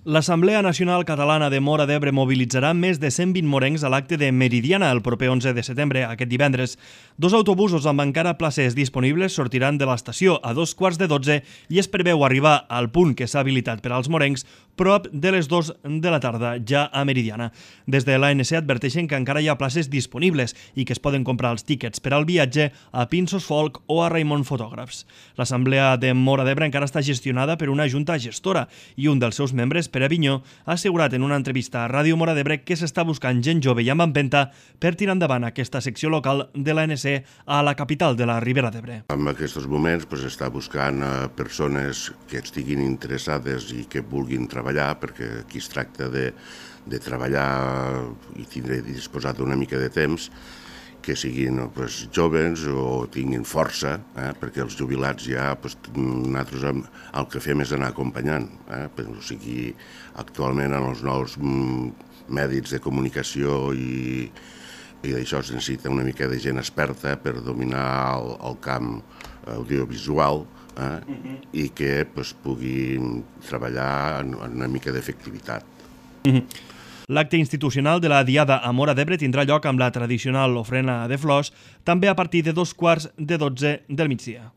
L'Assemblea Nacional Catalana de Móra d'Ebre mobilitzarà més de 120 morencs a l'acte de Meridiana el proper 11 de setembre, aquest divendres. 2 autobusos amb encara places disponibles sortiran de l'estació a 2:15 i es preveu arribar al punt que s'ha habilitat per als morencs prop de les 2 de la tarda, ja a Meridiana. Des de l'ANC adverteixen que encara hi ha places disponibles i que es poden comprar els tíquets per al viatge a Pinsos Folk o a Raimon Fotògrafs. L'Assemblea de Móra d'Ebre encara està gestionada per una junta gestora i un dels seus membres, Pere Avinyó, ha assegurat en una entrevista a Ràdio Móra d'Ebre que s'està buscant gent jove i amb empenta per tirar endavant aquesta secció local de l'ANC a la capital de la Ribera d'Ebre. En aquests moments està buscant persones que estiguin interessades i que vulguin treballar, perquè aquí es tracta de treballar i tindre disposat d'una mica de temps, que siguin joves o tinguin força, perquè els jubilats ja nosaltres el que fem és anar acompanyant. O sigui, actualment en els nous mèdics de comunicació i d'això es necessita una mica de gent experta per dominar el camp audiovisual i que pugui treballar en una mica d'efectivitat. L'acte institucional de la Diada a Móra d'Ebre tindrà lloc amb la tradicional ofrena de flors, també a partir de 2:15 del migdia.